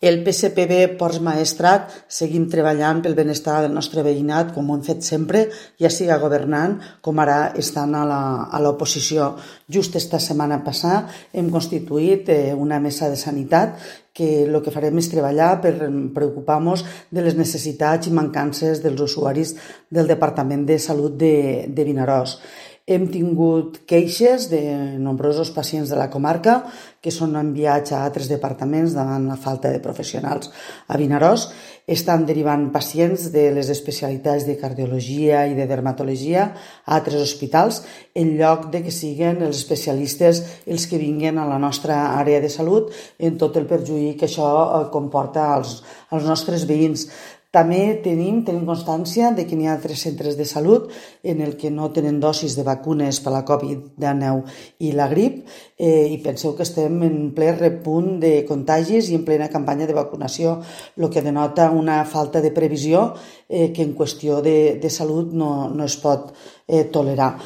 El PSPB Ports Maestrat seguim treballant pel benestar del nostre veïnat, com ho hem fet sempre, ja siga governant com ara estan a l'oposició. Just esta setmana passada hem constituït una mesa de sanitat que el que farem és treballar per preocupar-nos de les necessitats i mancances dels usuaris del Departament de Salut de Vinaròs. Hem tingut queixes de nombrosos pacients de la comarca que són enviats a altres departaments davant la falta de professionals a Vinaròs. Estan derivant pacients de les especialitats de cardiologia i de dermatologia a altres hospitals en lloc de que siguin els especialistes els que vinguen a la nostra àrea de salut en tot el perjuí que això comporta als nostres veïns. També tenim constància de que n'hi ha altres centres de salut en el que no tenen dosis de vacunes per la Covid-19 i la grip i penseu que estem en ple repunt de contagis i en plena campanya de vacunació, el que denota una falta de previsió que en qüestió de salut no es pot tolerar.